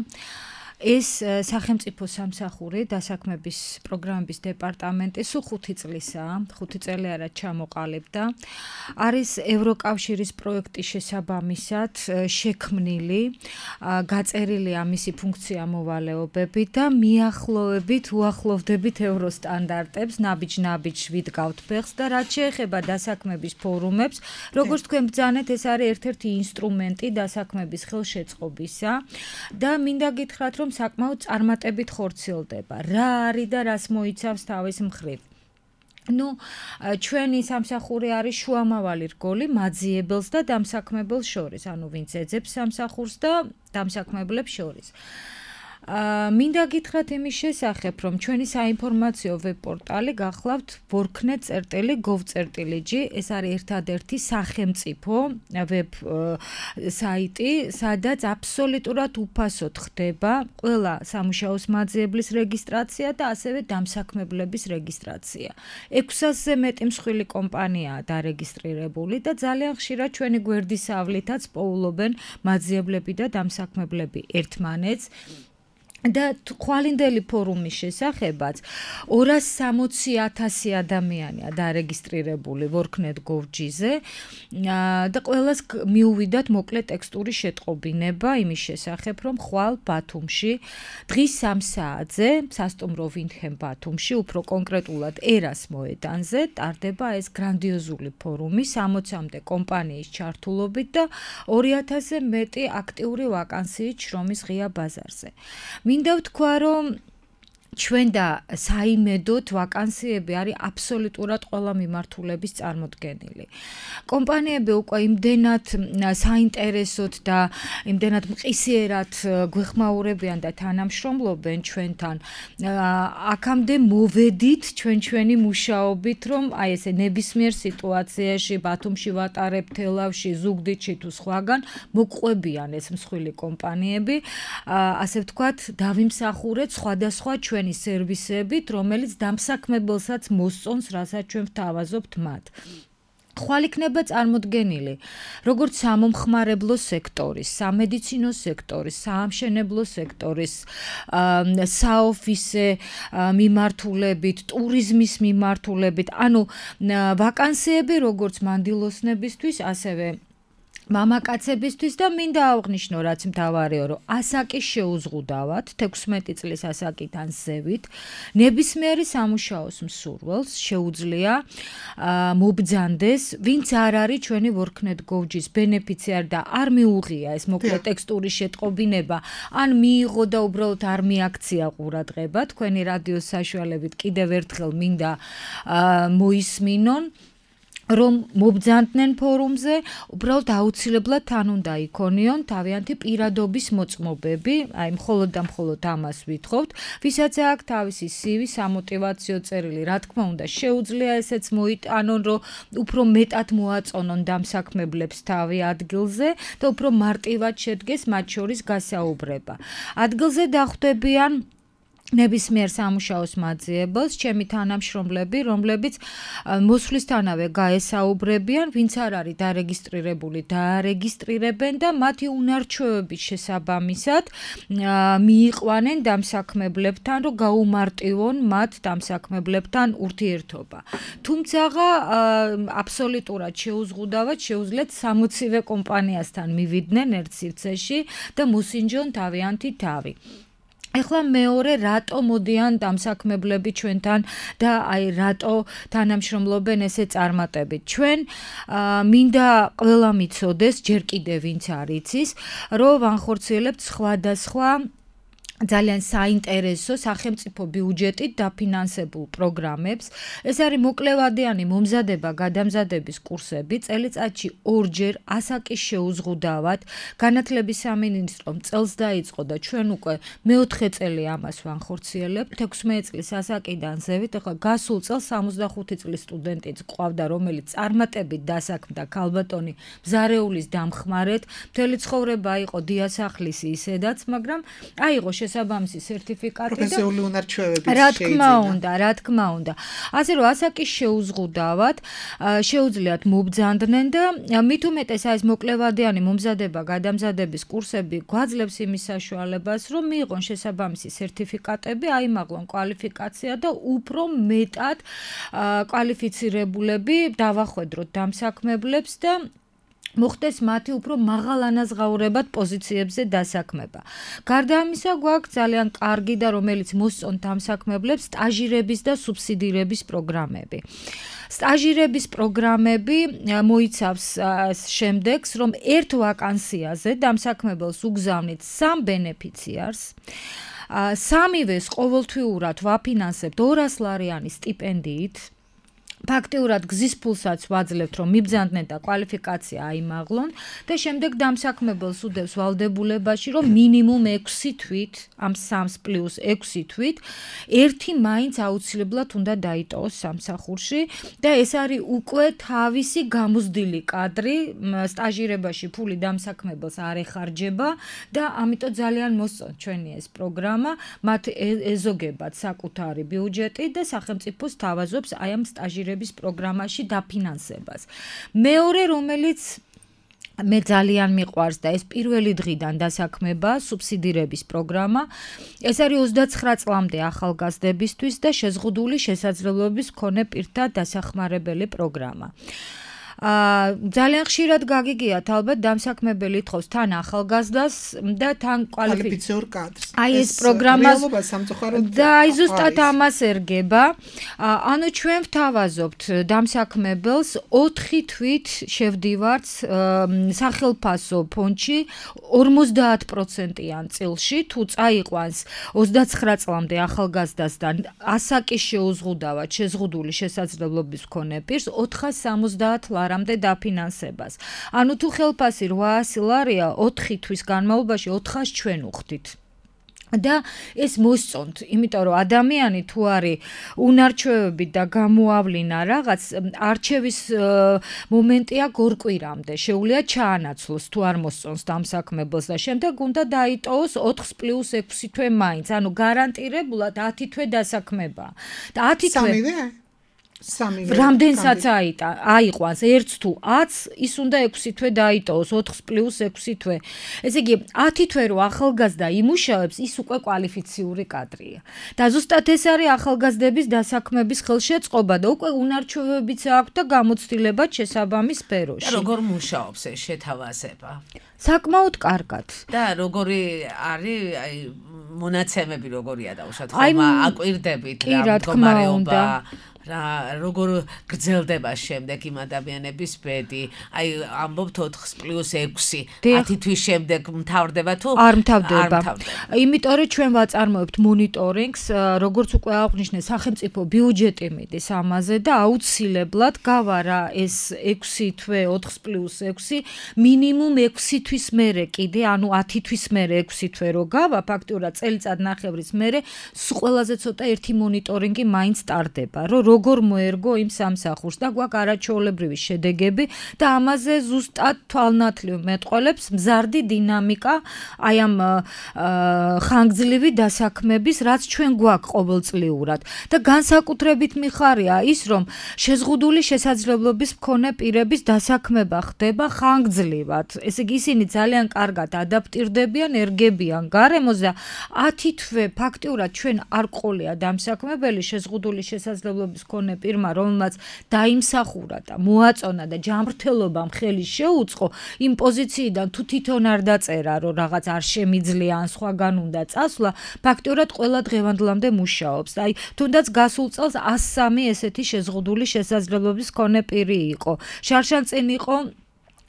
ეს სახელმწიფო სამსახური დასაქმების პროგრამების დეპარტამენტი სულ 5 წლისაა, 5 წელი არა ჩამოყალიბდა. არის ევროკავშირის პროექტის შესაბამისად შექმნილი, გაწერილი ამისი ფუნქცია მოვალეობები და მიახლოებით უახლოვდებით ევროსტანდარტებს, ნაბიჯ-ნაბიჯ ვიდგავთ ფეხს და რაც შეეხება დასაქმების ფორუმებს, როგორც თქვენ ბრძანეთ, ეს არის ერთ-ერთი ინსტრუმენტი დასაქმების ხელშეწყობისა და მინდა გითხრათ, რომ საკმაოდ წარმატებით ხორციელდება. რა არის და რას მოიცავს თავის მხრივ? ჩვენი სამსახური არის შუამავალი რგოლი მაძიებელს და დამსაქმებელს შორის, ვინც ეძებს სამსახურს და დამსაქმებლებს შორის. მინდა გითხრათ იმის შესახებ, რომ ჩვენი საინფორმაციო ვებ-პორტალი გახლავთ worknet.gov.lg, ეს არის ერთადერთი სახელმწიფო ვებ საიტი, სადაც აბსოლუტურად უფასოდ ხდება ყველა სამუშაოს მაძიებლის რეგისტრაცია და ასევე დამსაქმებლების რეგისტრაცია. 600-ზე მეტი მსხვილი კომპანიაა დარეგისტრირებული და ძალიან ხშირად ჩვენი გვერდისავლითაც პოულობენ მაძიებლები და დამსაქმებლები ერთმანეთს. და ხვალინდელი ფორუმის შესახებაც 260,000 ადამიანია დარეგისტრირებული worknet.gov.lg-ზე და ყველას მიუვიდათ მოკლე ტექსტური შეტყობინება იმის შესახებ, რომ ხვალ ბათუმში დღის 3 საათზე სასტუმრო ვინდჰემ ბათუმში, უფრო კონკრეტულად ერას მოედანზე ტარდება ეს გრანდიოზული ფორუმი 60-მდე კომპანიის ჩართულობით და 2000-ზე მეტი აქტიური ვაკანსიით შრომის ღია ბაზარზე. მინდა ვთქვა, რომ ჩვენ და საიმედოდ ვაკანსიები არის აბსოლუტურად ყველა მიმართულების წარმოდგენილი. კომპანიები უკვე იმდენად საინტერესოდ და იმდენად მყისიერად გვეხმაურებიან და თანამშრომლობენ ჩვენთან. აქამდე მოვედით ჩვენი მუშაობით, რომ აი ესე ნებისმიერ სიტუაციაში ბათუმში ვატარებ, თელავში, ზუგდიდში თუ სხვაგან მოგყვებიან ეს მსხვილი კომპანიები. ასე ვთქვათ, დავიმსახურეთ სხვადასხვა ჩვენი სერვისებით, რომელიც დამსაქმებელსაც მოსწონს, რასაც ჩვენ ვთავაზობთ მათ. ხვალ იქნება წარმოდგენილი, როგორც სამომხმარებლო სექტორის, სამედიცინო სექტორის, საამშენებლო სექტორის, საოფისე მიმართულებით, ტურიზმის მიმართულებით, ანუ ვაკანსიები როგორც მანდილოსნებისთვის, ასევე მამაკაცებისთვის და მინდა აღვნიშნო, რაც მთავარია, რომ ასაკის შეუზღუდავად, 16 წლის ასაკიდან ზევით, ნებისმიერი სამუშაოს მსურველს შეუძლია მობრძანდეს, ვინც არ არის ჩვენი worknet.gov.lg-ის ბენეფიციარი და არ მიუღია ეს მოკლე ტექსტური შეტყობინება, ან მიიღო და უბრალოდ არ მიაქცია ყურადღება, თქვენი რადიოს საშუალებით კიდევ ერთხელ მინდა მოისმინონ, რომ მობრძანდნენ ფორუმზე, უბრალოდ აუცილებლად თან უნდა იქონიონ თავიანთი პირადობის მოწმობები, აი მხოლოდ და მხოლოდ ამას ვითხოვთ, ვისაც აქვს თავისი CV, სამოტივაციო წერილი, რა თქმა უნდა, შეუძლია ესეც მოიტანონ, რომ უფრო მეტად მოაწონონ დამსაქმებლებს თავი ადგილზე და უფრო მარტივად შედგეს მათ შორის გასაუბრება. ადგილზე დახვდებიან ნებისმიერ სამუშაოს მაძიებელს, ჩემი თანამშრომლები, რომლებიც მოსვლისთანავე გაესაუბრებიან, ვინც არ არის დარეგისტრირებული, დაარეგისტრირებენ და მათი უნარჩვევების შესაბამისად მიიყვანენ დამსაქმებლებთან, რომ გაუმარტივონ მათ დამსაქმებლებთან ურთიერთობა. თუმცა აბსოლუტურად შეუზღუდავად შეუძლიათ 60-ვე კომპანიასთან მივიდნენ ერთ სივრცეში და მოსინჯონ თავიანთი თავი. ეხლა მეორე რატო მოდიან დამსაქმებლები ჩვენთან და აი რატო თანამშრომლობენ ესე წარმატებით. ჩვენ მინდა ყველა მიცოდეს, ჯერ კიდევ ვინც არ იცის, რომ ვანხორციელებთ სხვადასხვა ძალიან საინტერესო სახელმწიფო ბიუჯეტით დაფინანსებულ პროგრამებს. ეს არის მოკლევადიანი მომზადება გადამზადების კურსები, წელიწადში 2-ჯერ ასაკის შეუზღუდავად. განათლების სამინისტრომ წელს დაიწყო და ჩვენ უკვე მეოთხე წელი ამას ვანხორციელებთ. 16 წლის ასაკიდან ზევით, ახლა გასულ წელს 65 წლის სტუდენტიც ყავდა, რომელიც წარმატებით დასაქმდა ქალბატონი მზარეულის დამხმარეთ. მთელი ცხოვრება იყო დიასახლისი ისედაც, მაგრამ აიღო შესაბამისი სერტიფიკატი და პროფესიული უნარჩვევები რა თქმა უნდა. ასე რომ ასაკის შეუზღუდავად შეუძლიათ მობძანდნენ და მით უმეტეს ეს მოკლევადიანი მომზადება, გადამზადების კურსები გვაძლევს იმის საშუალებას, რომ მიიღონ შესაბამისი სერტიფიკატები, აიმაღლონ კვალიფიკაცია და უფრო მეტად კვალიფიცირებულები დავახვედროთ დამსაქმებლებს და მოხდეს მათი უფრო მაღალანაზღაურებად პოზიციებზე დასაქმება. გარდა ამისა, გვაქვს ძალიან კარგი და რომელიც მოსწონთ დამსაქმებლებს სტაჟირების და სუბსიდირების პროგრამები. სტაჟირების პროგრამები მოიცავს შემდეგს, რომ ერთ ვაკანსიაზე დამსაქმებელს უგზავნით 3 ბენეფიციარს. სამივეს ყოველთვიურად ვაფინანსებთ 200 ლარიანი სტიპენდიით. ფაქტიურად გზის ფულსაც ვაძლევთ, რომ მიბრძანდნენ და კვალიფიკაცია აიმაღლონ და შემდეგ დამსაქმებელს უდევს ვალდებულებაში, რომ მინიმუმ 6 თვით, ამ 3 პლუს 6 თვით, ერთი მაინც აუცილებლად უნდა დაიტოვოს სამსახურში და ეს არის უკვე თავისი გამოსდილი კადრი, სტაჟირებაში ფული დამსაქმებელს არ ეხარჯება და ამიტომ ძალიან მოსწონთ ჩვენი ეს პროგრამა, მათ ეზოგებათ საკუთარი ბიუჯეტი და სახელმწიფოს თავაზობს აი ამ სტაჟირების პროგრამაში დაფინანსებას. მეორე, რომელიც მე ძალიან მიყვარს და ეს პირველი დღიდან დასაქმება, სუბსიდირების პროგრამა. ეს არის 29 წლამდე ახალგაზრდებისთვის და შეზღუდული შესაძლებლობების მქონე პირთა დასახმარებელი პროგრამა. ძალიან ხშირად გაგიგიათ ალბათ დამსაქმებელი ითხოვს თან ახალგაზრდას და თან კვალიფიციურ კადრს. აი ეს პროგრამას სამწუხაროდ და აი ზუსტად ამას ერგება. ანუ ჩვენ ვთავაზობთ დამსაქმებელს 4 თვით შევდივართ სახელფასო ფონდში 50%-იან წილში თუ წაიყვანს 29 წლამდე ახალგაზრდას და ასაკის შეუზღუდავად შეზღუდული შესაძლებლობის მქონე პირს 470 ლარამდე დაფინანსებას. ანუ თუ ხელფასი 800 ლარია 4 თვის განმავლობაში 400 ჩვენ უხდით. და ეს მოსწონთ, იმიტომ რომ ადამიანი თუ არის უნარჩვევებით და გამოავლინა რაღაც არჩევის მომენტია გორკვირამდე, შეუძლია ჩაანაცვლოს თუ არ მოსწონს დამსაქმებელს და შემდეგ უნდა დაიტოვოს 4 პლუს 6 თვე მაინც, ანუ გარანტირებულად 10 თვე დასაქმება. და 10 თვე რამდენსაც აიყვანს 1 თუ 10, ის უნდა 6 თვე დაიტოვოს 4 პლუს 6 თვე. ესე იგი 10 თვე რო ახალგაზრდა იმუშავებს, ის უკვე კვალიფიციური კადრია. და ზუსტად ეს არის ახალგაზრდების დასაქმების ხელშეწყობა და უკვე უნარჩვევებიც აქვს და გამოცდილებაც შესაბამის სფეროში. და როგორ მუშაობს ეს შეთავაზება? საკმაოდ კარგად. და როგორი არის აი მონაცემები როგორია დაუშვათ ხომ აკვირდებით რა მდგომარეობა რა როგორ გრძელდება შემდეგ იმ ადამიანების ბედი აი ამბობთ 4 პლუს 6 10 თვის შემდეგ მთავრდება თუ არ მთავრდება იმიტომ რომ ჩვენ ვაწარმოებთ მონიტორინგს როგორც უკვე აღნიშნე სახელმწიფო ბიუჯეტი მიდის ამაზე და აუცილებლად გავა რა ეს 6 თვე 4 პლუს 6 მინიმუმ 6 თვის მერე კიდე ანუ 10 თვის მერე 6 თვე რო გავა ფაქტურად წელიწად ნახევრის მერე ყველაზე ცოტა ერთი მონიტორინგი მაინც ტარდება რომ როგორ მოერგო იმ სამსახურს და გვაქვს არაჩვეულებრივი შედეგები და ამაზე ზუსტად თვალნათლივ მეტყველებს მზარდი დინამიკა აი ამ ხანგრძლივი დასაქმების რაც ჩვენ გვაქვს ყოველწლიურად და განსაკუთრებით მიხარია ის რომ შეზღუდული შესაძლებლობის მქონე პირების დასაქმება ხდება ხანგრძლივად ესე იგი ისინი ძალიან კარგად ადაპტირდებიან ერგებიან გარემოზე 10 თვე ფაქტიურად ჩვენ არ ყოლია დამსაქმებელი შეზღუდული შესაძლებლობის მქონე პირმა რომელმაც დაიმსახურა და მოაწონა და ჯანმრთელობამ ხელი შეუწყო იმ პოზიციიდან თუ თვითონ არ დაწერა რომ რაღაც არ შემიძლია ან სხვაგან უნდა წასვლა ფაქტიურად ყველა დღევანდლამდე მუშაობს აი თუნდაც გასულ წელს 103 ესეთი შეზღუდული შესაძლებლობის მქონე პირი იყო შარშან წინ იყო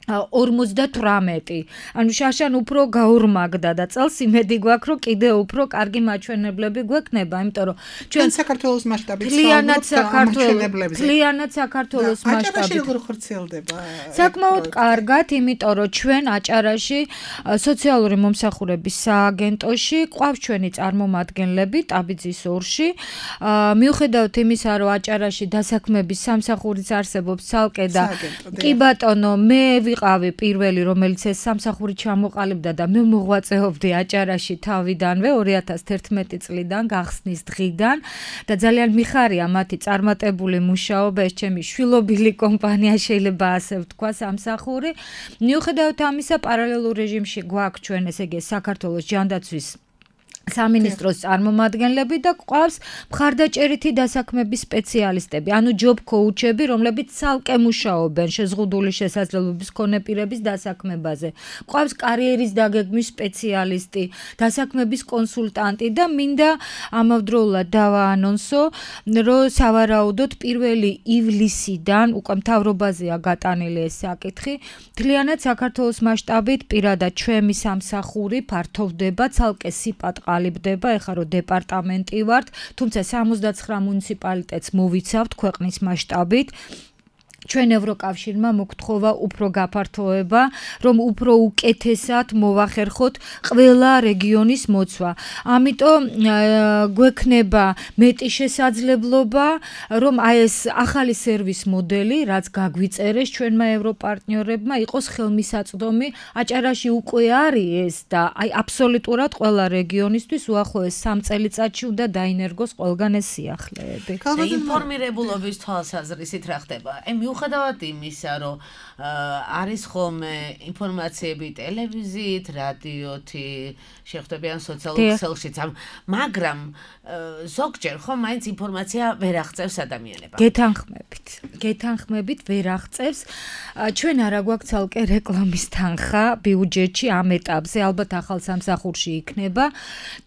58 ანუ შარშან უფრო გაორმაგდა და წელს იმედი გვაქვს რომ კიდე უფრო კარგი მაჩვენებლები გვექნება იმიტომ რომ ჩვენ საქართველოს მასშტაბით მთლიანად საქართველოს მასშტაბით როგორ ხორციელდება საკმაოდ კარგად იმიტომ რომ ჩვენ აჭარაში სოციალური მომსახურების სააგენტოში ყავს ჩვენი წარმომადგენლები ტაბიძის ორში მიუხედავად იმისა რომ აჭარაში დასაქმების სამსახურიც არსებობს ცალკე და კი ბატონო მე ვიყავი პირველი, რომელიც ეს სამსახური ჩამოყალიბდა და მე მოღვაწეობდი აჭარაში თავიდანვე 2011 წლიდან, გახსნის დღიდან და ძალიან მიხარია მათი წარმატებული მუშაობა, ეს ჩემი შვილობილი კომპანია შეიძლება ასე ვთქვა სამსახური. მიუხედავად ამისა, პარალელურ რეჟიმში გვაქვს ჩვენ ესე იგი საქართველოს ჯანდაცვის სამინისტროს წარმომადგენლები და ყავს მხარდაჭერითი დასაქმების სპეციალისტები, ანუ ჯობ კოუჩები, რომლებიც ცალკე მუშაობენ შეზღუდული შესაძლებლობის მქონე პირების დასაქმებაზე. ყავს კარიერის დაგეგმვის სპეციალისტი, დასაქმების კონსულტანტი და მინდა ამავდროულად დავაანონსო, რომ სავარაუდოდ 1 ივლისიდან უკვე მთავრობაზეა გატანილი ეს საკითხი. მთლიანად საქართველოს მასშტაბით პირადად ჩემი სამსახური ფართოვდება, ცალკე სიპატყა ყალიბდება, ეხლა რომ დეპარტამენტი ვართ, თუმცა 79 მუნიციპალიტეტს მოვიცავთ ქვეყნის მასშტაბით. ჩვენ ევროკავშირმა მოგთხოვა უფრო გაფართოება, რომ უფრო უკეთესად მოვახერხოთ ყველა რეგიონის მოცვა. ამიტომ გვექნება მეტი შესაძლებლობა, რომ აი ეს ახალი სერვის მოდელი, რაც გაგვიწერეს ჩვენმა ევროპარტნიორებმა, იყოს ხელმისაწვდომი. აჭარაში უკვე არის ეს და აი აბსოლუტურად ყველა რეგიონისთვის უახლოეს 3 წელიწადში უნდა დაინერგოს ყველგან ეს სიახლეები. ინფორმირებულობის თვალსაზრისით რა ხდება? მიუხედავად იმისა, რომ არის ხოლმე ინფორმაციები ტელევიზიით, რადიოთი, შეხვდებიან სოციალურ ქსელშიც, მაგრამ ზოგჯერ ხომ მაინც ინფორმაცია ვერ აღწევს ადამიანებმა. გეთანხმებით ვერ აღწევს. ჩვენ არა გვაქვს ცალკე რეკლამის თანხა ბიუჯეტში ამ ეტაპზე, ალბათ ახალ სამსახურში იქნება.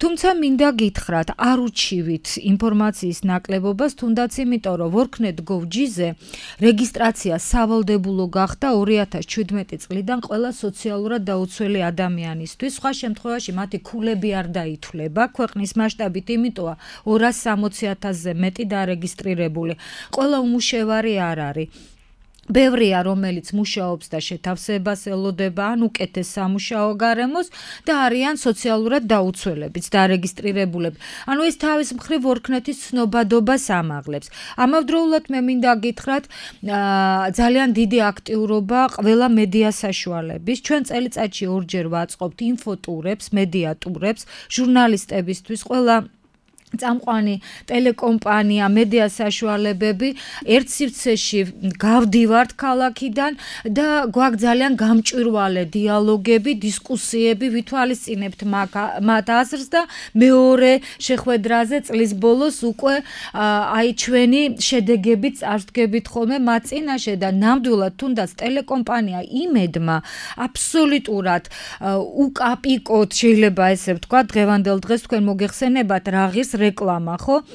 თუმცა მინდა გითხრათ, არ უჩივით ინფორმაციის ნაკლებობას, თუნდაც იმიტომ, რომ worknet.gov.ზე რეგისტრაცია სავალდებულო გახდა 2017 წლიდან ყველა სოციალურად დაუცველი ადამიანისთვის. სხვა შემთხვევაში მათი ქულები არ დაითვლება ქვეყნის მასშტაბით, იმიტომ 260,000-ზე მეტი დარეგისტრირებული. ყველა უმუშევარი არ არის. ბევრია, რომელიც მუშაობს და შეთავსებას ელოდება, ან უკეთეს სამუშაო გარემოს და არიან სოციალურად დაუცველებიც, დარეგისტრირებულები. ანუ ეს თავის მხრივ worknet-ის ცნობადობას ამაღლებს. ამავდროულად მე მინდა გითხრათ, ძალიან დიდი აქტიურობა ყველა მედია საშუალების. ჩვენ წელიწადში 2-ჯერ ვაწყობთ ინფოტურებს, მედია ტურებს, ჟურნალისტებისთვის, ყველა წამყვანი ტელეკომპანია, მედია საშუალებები ერთ სივრცეში გავდივართ ქალაქიდან და გვაქვს ძალიან გამჭვირვალე დიალოგები, დისკუსიები, ვითვალისწინებთ მათ აზრს და მეორე შეხვედრაზე წლის ბოლოს უკვე აი ჩვენი შედეგებით წარსდგებით ხოლმე მათ წინაშე და ნამდვილად თუნდაც ტელეკომპანია იმედმა აბსოლუტურად უკაპიკოდ შეიძლება ესე ვთქვა, დღევანდელ დღეს თქვენ მოგეხსენებათ რაღის რეკლამა, ხო?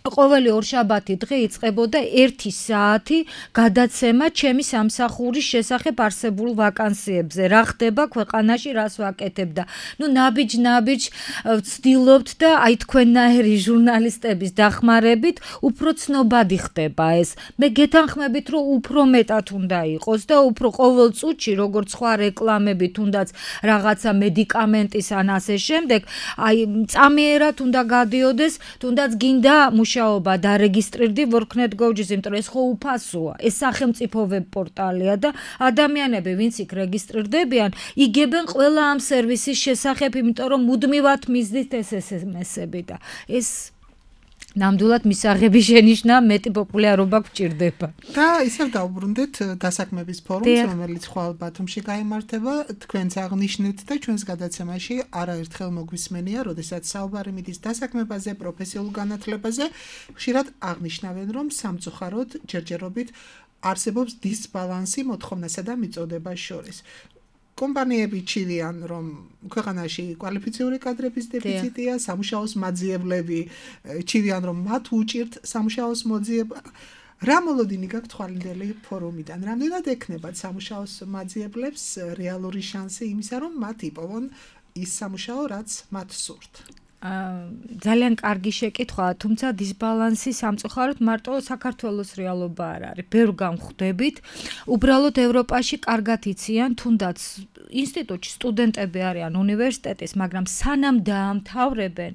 ყოველი ორშაბათი დღე იწყებოდა 1 საათი გადაცემა ჩემი სამსახურის შესახებ არსებულ ვაკანსიებზე. რა ხდება ქვეყანაში, რას ვაკეთებ და ნუ ნაბიჯ ვცდილობთ და აი თქვენნაირი ჟურნალისტების დახმარებით უფრო ცნობადი ხდება ეს. მე გეთანხმებით, რომ უფრო მეტად უნდა იყოს და უფრო ყოველ წუთში, როგორც სხვა რეკლამები, თუნდაც რაღაცა მედიკამენტის ან ასე შემდეგ, აი წამიერად უნდა გადიოდეს, თუნდაც გინდა მუშაობა დარეგისტრირდი worknet.gov.ზე, იმიტომ რომ ეს ხო უფასოა. ეს სახელმწიფო ვებ პორტალია და ადამიანები, ვინც იქ რეგისტრირდებიან, იგებენ ყველა ამ სერვისის შესახებ, იმიტომ რომ მუდმივად მისდით ეს SMS-ები და ეს ნამდვილად მისაღები შენიშნა, მეტი პოპულარობა გვჭირდება. და ისევ დავუბრუნდეთ დასაქმების ფორუმს, რომელიც ხვალ ბათუმში გაიმართება, თქვენც აღნიშნეთ და ჩვენს გადაცემაში არაერთხელ მოგვისმენია, როდესაც საუბარი მიდის დასაქმებაზე, პროფესიულ განათლებაზე, ხშირად აღნიშნავენ, რომ სამწუხაროდ ჯერჯერობით არსებობს დისბალანსი მოთხოვნასა და მიწოდებას შორის. კომპანიები ჩივიან, რომ ქვეყანაში კვალიფიციური კადრების დეფიციტია, სამუშაოს მაძიებლები ჩივიან, რომ მათ უჭირთ სამუშაოს მოძიება. რა მოლოდინი გაქვთ თვალინდელი ფორუმიდან? რამდენად ექნებათ სამუშაოს მაძიებლებს რეალური შანსი იმისა, რომ მათ იპოვონ ის სამუშაო, რაც მათ სურთ? ძალიან კარგი შეკითხვაა, თუმცა დისბალანსი სამწუხაროდ მარტო საქართველოს რეალობა არ არის. ბევრ გამხვდებით. უბრალოდ ევროპაში კარგად იციან, თუნდაც ინსტიტუტში სტუდენტები არიან უნივერსიტეტის, მაგრამ სანამ დაამთავრებენ,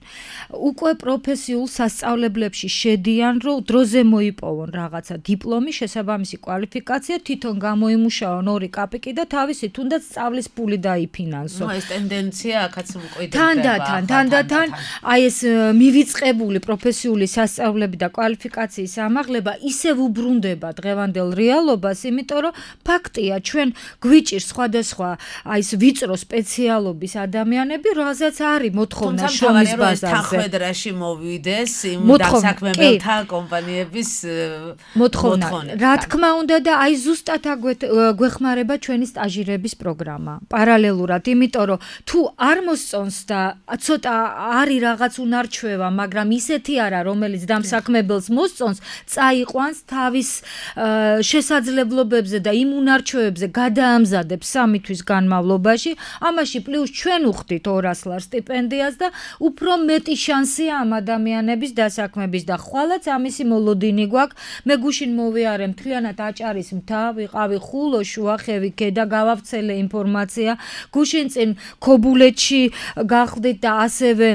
უკვე პროფესიულ სასწავლებლებში შედიან, რომ დროზე მოიპოვონ რაღაცა დიპლომი, შესაბამისი კვალიფიკაცია, თვითონ გამოიმუშაონ 2 კაპიკი და თავისი თუნდაც სწავლის ფული დაიფინანსო. ეს ტენდენცია აქაც მკვიდრდება. თანდათან აი ეს მივიწყებული პროფესიული სასწავლებლები და კვალიფიკაციის ამაღლება ისევ უბრუნდება დღევანდელ რეალობას, იმიტომ რომ ფაქტია, ჩვენ გვიჭირს სხვადასხვა აი ეს ვიწრო სპეციალობის ადამიანები, რომელსაც არის მოთხოვნა შრომის ბაზარზე. თანხმედრაში მოვიდეს იმ დასაქმებელთა კომპანიების მოთხოვნა. რა თქმა უნდა და აი ზუსტად გვეხმარება ჩვენი სტაჟირების პროგრამა. პარალელურად, იმიტომ რომ თუ არ მოსწონს და ცოტა არის რაღაც უნარჩვევა, მაგრამ ისეთი არა, რომელიც დამსაქმებელს მოსწონს, წაიყვანს თავის შესაძლებლობებზე და იმ უნარჩვევებზე გადაამზადებს 3 თვის განმავლობაში. ამაში პლუს ჩვენ უხდით 200 ლარ სტიპენდიას და უფრო მეტი შანსია ამ ადამიანების დასაქმების და ხვალაც ამისი მოლოდინი გვაქვს. მე გუშინ მოვიარე მთლიანად აჭარის მთა, ვიყავი ხულო, შუახევი, ქედა, გავავრცელე ინფორმაცია. გუშინ წინ ქობულეთში გავხდით და ასევე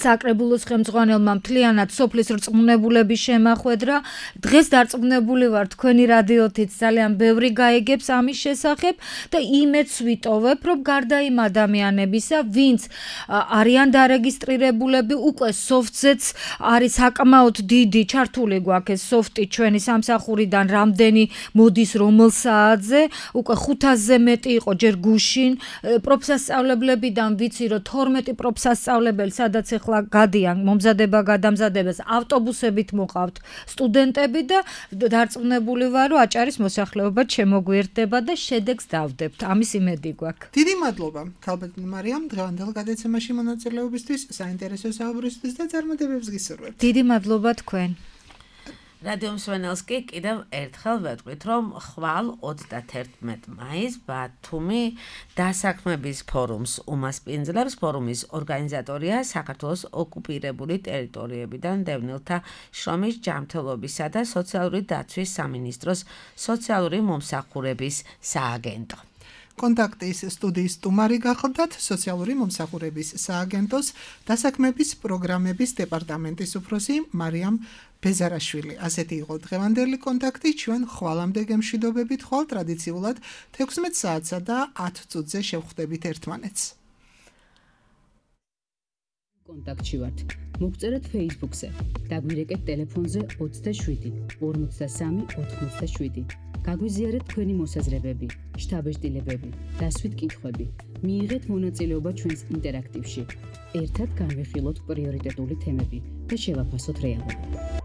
საკრებულოს ხელმძღვანელმა მთლიანად სოფლის რწმუნებულების შემახვედრა. დღეს დარწმუნებული ვარ თქვენი რადიოთიც ძალიან ბევრი გაიგებს ამის შესახებ და იმედს ვიტოვებ, რომ გარდა იმ ადამიანებისა, ვინც არიან დარეგისტრირებულები, უკვე soft-ზეც არის საკმაოდ დიდი ჩართული გვაქვს ეს soft-ი ჩვენი სამსახურიდან რამდენი მოდის რომელ საათზე, უკვე 500-ზე მეტი იყო ჯერ გუშინ. პროფსასწავლებლებიდან ვიცი, რომ 12 პროფსასწავლებელი სადაც ახლა გადიან მომზადება გადამზადებას ავტობუსებით მოყავთ სტუდენტები და დარწმუნებული ვარ, რომ აჭარის მოსახლეობა შემოგვიერთდება და შედეგს დავდებთ. ამის იმედი გვაქვს. დიდი მადლობა ქალბატონ მარიამ დღევანდელ გადაცემაში მონაწილეობისთვის, საინტერესო საუბრისთვის და წარმატებებს გისურვებთ. დიდი მადლობა თქვენ. რადიო მსმენელს კი კიდევ ერთხელ ვეთქვით, რომ ხვალ 31 მაისს ბათუმი დასაქმების ფორუმს უმასპინძლებს. ფორუმის ორგანიზატორია საქართველოს ოკუპირებული ტერიტორიებიდან დევნილთა შრომის ჯანმრთელობისა და სოციალური დაცვის სამინისტროს სოციალური მომსახურების სააგენტო. კონტაქტის სტუდიის სტუმარი გახლდათ სოციალური მომსახურების სააგენტოს დასაქმების პროგრამების დეპარტამენტის უფროსი მარიამ ბეზარაშვილი. ასეთი იყო დღევანდელი კონტაქტი. ჩვენ ხვალამდე გემშვიდობებით, ხვალ ტრადიციულად 16 საათსა და 10 წუთზე შევხვდებით ერთმანეთს. კონტაქტში ვართ. მოგწერეთ Facebook-ზე. დაგვირეკეთ ტელეფონზე 27 53 87. გაგვიზიარეთ თქვენი მოსაზრებები, შთაბეჭდილებები, დასვით კითხვები. მიიღეთ მონაწილეობა ჩვენს ინტერაქტივში. ერთად განვიხილოთ პრიორიტეტული თემები და შევაფასოთ რეალობა.